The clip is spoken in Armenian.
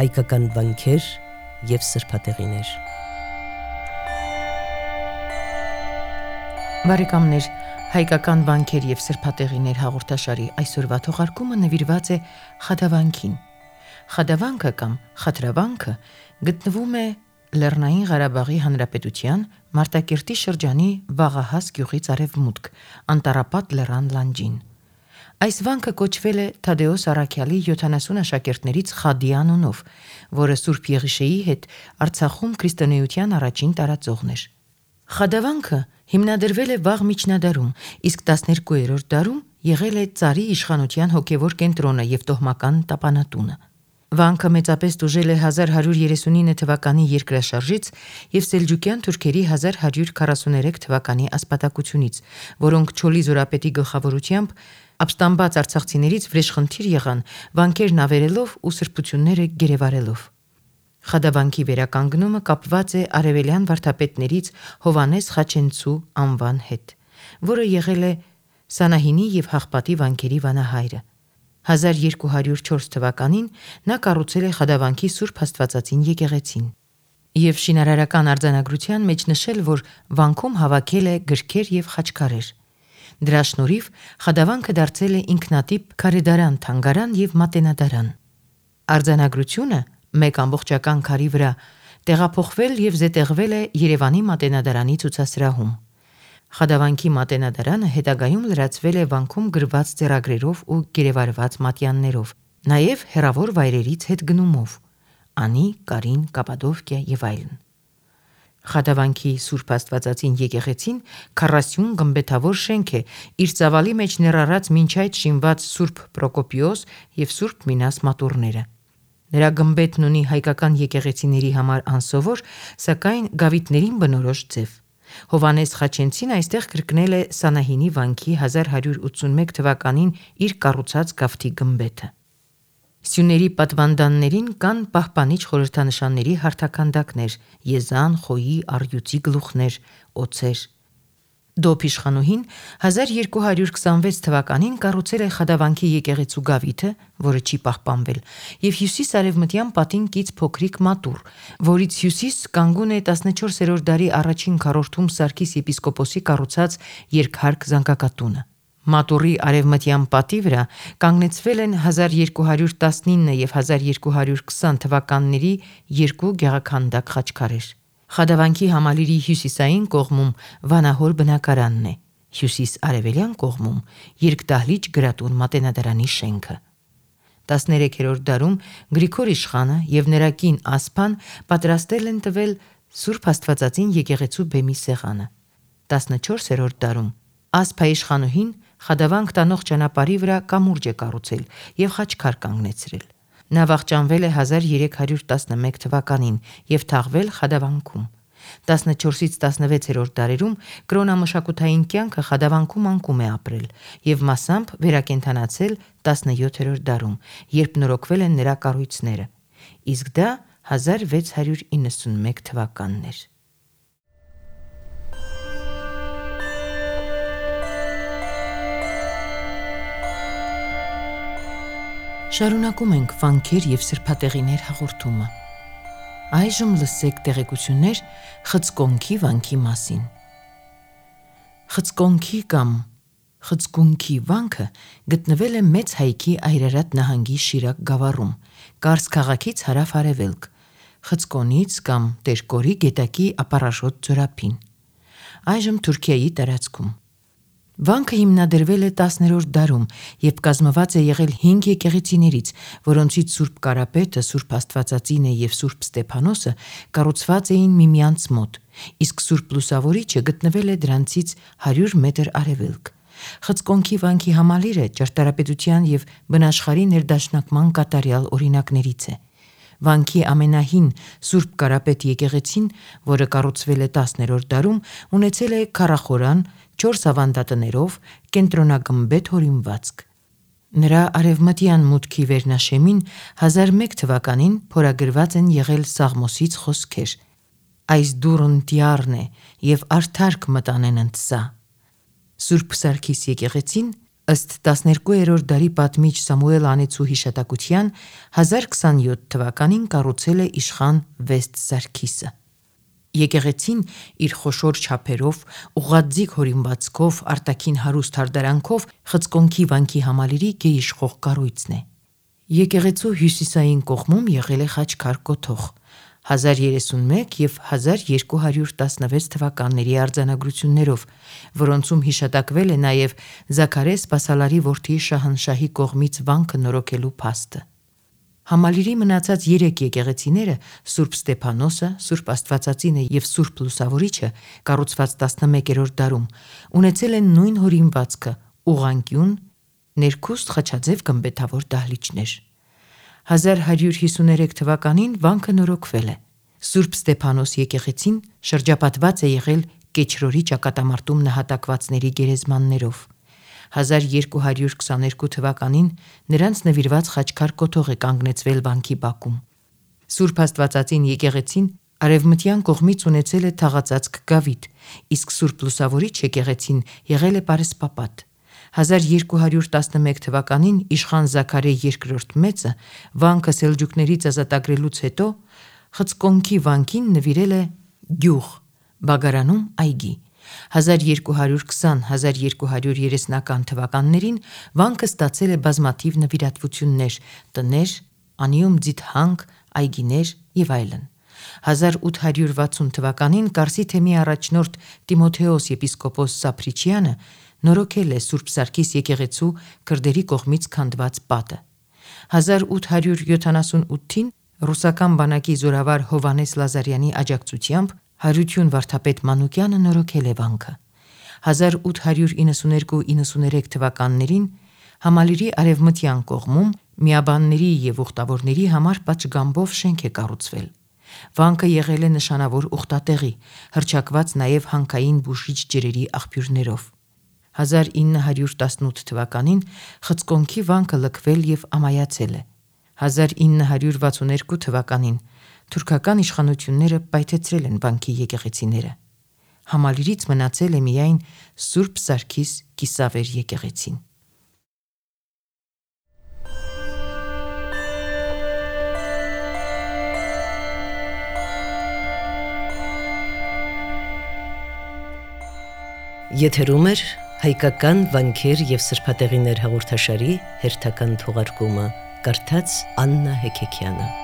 հայկական վանքեր և սրբատեղիներ։ Բարեկամներ, հայկական վանքեր և սրբատեղիներ հաղորդաշարի այսօրվա թողարկումը նվիրված է Խադավանքին։ Խադավանքը կամ Խաթրավանքը գտնվում է Լեռնային Ղարաբաղի Հանրապետության Մարտակերտի շրջանի Վաղահաս գյուղից արևմուտք, Անտառապատ լեռան լանջին։ Այս վանքը կոչվել է Թադեոս Առաքյալի 70 աշակերտներից Խադի անունով, որը Սուրբ Եղիշեի հետ Արցախում քրիստոնեության առաջին տարածողն էր։ Խադավանքը հիմնադրվել է վաղ միջնադարում, իսկ 12-րդ դարում եղել է ծարի իշխանության հոգևոր կենտրոնը և տոհմական տապանատունը։ Վանքը մեծապես տուժել է 1139 թվականի երկրաշարժից և սելջուկյան թուրքերի 1143 թվականի ասպատակությունից, որոնք Չոլի զորապետի գլխավորությամբ ապստամբած արցախցիներից վրեժխնդիր եղան վանքերն ավերելով ու սրբությունները գերեվարելով։ Խադավանքի վերականգնումը կապված է արևելյան վարդապետներից Հովհաննես Խաչենցու անվան հետ, որը եղել է Սանահինի և Հաղպատի վանքերի վանահայրը։ 1204 թվականին նա կառուցել է Խադավանքի Սուրբ Աստվածածին եկեղեցին և շինարարական արձանագրության մեջ նշել, որ վանքում հավաքել է գրքեր և խաչքարեր։ Դրա շնորհիվ Խադավանքը դարձել է ինքնատիպ քարեդարան, թանգարան և մատենադարան։ Արձանագրությունը մեկ ամբողջական քարի վրա տեղափոխվել և զետեղվել է Երևանի մատենադարանի ցուցասրահում։ Խադավանքի մատենադարանը հետագայում լրացվել է վանքում գրված ձեռագրերով ու գերեվարված մատյաններով, նաև հեռավոր վայրերից հետգնումով՝ Անի, Կարին, Կապադովկիա և այլն։ Խադավանքի Սուրբ Աստվածածին եկեղեցին 40 գմբեթավոր շենք է, իր ծավալի մեջ ներառած մինչ այդ շինված Սուրբ Պրոկոպիոս և Սուրբ Մինաս մատուռները։ Նրա գմբեթն ունի հայկական եկեղեցիների համար անսովոր, սակայն գավիթներին բնորոշ ձև։ Հովհաննես Խաչենցին այստեղ կրկնել է Սանահինի վանքի 1181 թվականին իր կառուցած գավթի գմբեթը։ Սյուների պատվանդաններին կան պահպանիչ խորհրդանշանների հարթաքանդակներ՝ եզան, խոյի, առյուծի գլուխներ, օձեր։ Դոփ իշխանուհին 1226 թվականին կառուցել է Խադավանքի եկեղեցու գավիթը, որը չի պահպանվել, և հյուսիս-արևմտյան պատին կից փոքրիկ մատուռ, որից հյուսիս կանգուն է 14-րդ դարի առաջին քառորդում Սարգիս եպիսկոպոսի կառուցած երկհարկ զանգակատունը։ Մատուռի արևմտյան պատի վրա կանգնեցվել են 1219 և 1220 թվականների երկու գեղաքանդակ խաչքարեր։ Խադավանքի համալիրի հյուսիսային կողմում վանահոր բնակարանն է, հյուսիս-արևելյան կողմում երկդահլիճ գրատուն մատենադարանի շենքը։ 13-րդ դարում Գրիգոր իշխանը և նրա կին Ասպան պատրաստել են տվել Սուրբ Աստվածածին եկեղեցու բեմի սեղանը։ 14-րդ դարում Ասպա իշխանուհին Խադավանք տանող ճանապարհի վրա կամուրջ է կառուցել և խաչքար կանգնեցրել։ Նա վախճանվել է 1311 թվականին և թաղվել Խադավանքում։ 14-ից 16-րդ դարերում կրոնամշակութային կյանքը Խադավանքում անկում է ապրել և մասամբ վերակենդանացել 17-րդ դարում, երբ նորոգվել են նրա կառույցները, իսկ դա 1691 թվականն էր։ Շարունակում ենք վանքեր և սրբատեղիներ հաղորդումը։ Այժմ լսեք տեղեկություններ Խցկոնքի վանքի մասին։ Խցկոնքի կամ Խցկունքի վանքը գտնվել է Մեծ Հայքի Այրարատ նահանգի Շիրակ գավառում, Կարս քաղաքից հարավ-արևելք, Խցկոնից կամ Տերկորի գետակի ապառաշոտ ձորափին, այժմ Թուրքիայի տարածքում։ Վանքը հիմնադրվել է 10-րդ դարում և կազմված է եղել 5 եկեղեցիներից, որոնցից Սուրբ Կարապետը, Սուրբ Աստվածածինը և Սուրբ Ստեփանոսը կառուցված էին միմյանց մոտ, իսկ Սուրբ Լուսավորիչը գտնվել է դրանցից 100 մետր արևելք։ Խցկոնքի վանքի համալիրը ճարտարապետության և բնաշխարհի ներդաշնակման կատարյալ օրինակներից է։ Վանքի ամենահին Սուրբ Կարապետ եկեղեցին, որը կառուցվել է 10-րդ դարում, ունեցել է քառախորան 4 ավանդատներով կենտրոնագմբեթ հորինվածք։ Նրա արևմտյան մուտքի վերնաշեմին 1001 թվականին փորագրված են եղել Սաղմոսից խոսքեր. «Այս դուռն տյառն է և արդարք մտանեն ընդ սա»։ Սուրբ Սարգիս եկեղեցին Ըստ 12-րդ դարի պատմիչ Սամուել Անեցու հիշատակության 1027 թվականին կառուցել է իշխան Վեստ Սարգիսը։ Եկեղեցին իր խոշոր չափերով, ուղղաձիգ հորինվածքով, արտաքին հարուստ հարդարանքով Խցկոնքի վանքի համալիրի գերիշխող կառույցն է։ Եկեղեցու հյուսիսային կողմում եղել է խաչքար կոթող։ 1031 և 1216 թվականների արձանագրություններով, որոնցում հիշատակվել է նաև Զաքարե Սպասալարի որդի Շահանշահի կողմից վանքը նորոգելու փաստը։ Համալիրի մնացած 3 եկեղեցիները՝ Սուրբ Ստեփանոսը, Սուրբ Աստվածածինը և Սուրբ Լուսավորիչը, կառուցված 11-րդ դարում, ունեցել են նույն հորինվածքը՝ ուղղանկյուն, ներքուստ խաչաձև գմբեթավոր դահլիճներ։ 1153 թվականին վանքը նորոգվել է։ Սուրբ Ստեփանոս եկեղեցին շրջապատված է եղել Կեչրորի ճակատամարտում նահատակվածների գերեզմաններով։ 1222 թվականին նրանց նվիրված խաչքար կոթող է կանգնեցվել վանքի բակում։ Սուրբ Աստվածածին եկեղեցին արևմտյան կողմից ունեցել է թաղածածկ գավիթ, իսկ Սուրբ Լուսավորիչ եկեղեցին եղել է պարսպապատ։ 1211 թվականին իշխան Զաքարե II մեծը վանքը սելջուկներից ազատագրելուց հետո Խցկոնքի վանքին նվիրել է գյուղ, Բագարանում այգի։ 1220-1230 թվականներին վանքը ստացել է բազմաթիվ նվիրատվություններ՝ տներ, անիում ձիթհանք, այգիներ և այլն։ 1860 թվականին Կարսի թեմի առաջնորդ Տիմոթեոս եպիսկոպոս Սափրիչյանը նորոգել է Սուրբ Սարգիս եկեղեցու քրդերի կողմից քանդված պատը։ 1878-ին ռուսական բանակի զորավար Հովհաննես Լազարյանի աջակցությամբ Հարություն վարդապետ Մանուկյանը նորոգել է վանքը։ 1892-93 թվականներին համալիրի արևմտյան կողմում միաբանների և ուխտավորների համար պատշգամբով շենք է կառուցվել։ Վանքը եղել է նշանավոր ուխտատեղի, հռչակված նաև հանքային բուժիչ ջրերի աղբյուրներով։ 1918 թվականին Խցկոնքի վանքը լքվել և ամայացել է։ 1962 թվականին թուրքական իշխանությունները պայթեցրել են վանքի եկեղեցիները։ Համալիրից մնացել է միայն Սուրբ Սարգիս կիսավեր եկեղեցին։ Եթերում է հայկական վանքեր և սրբատեղիներ հաղորդաշարի հերթական թողարկումը, կարդաց Աննա Հեքեքյանը։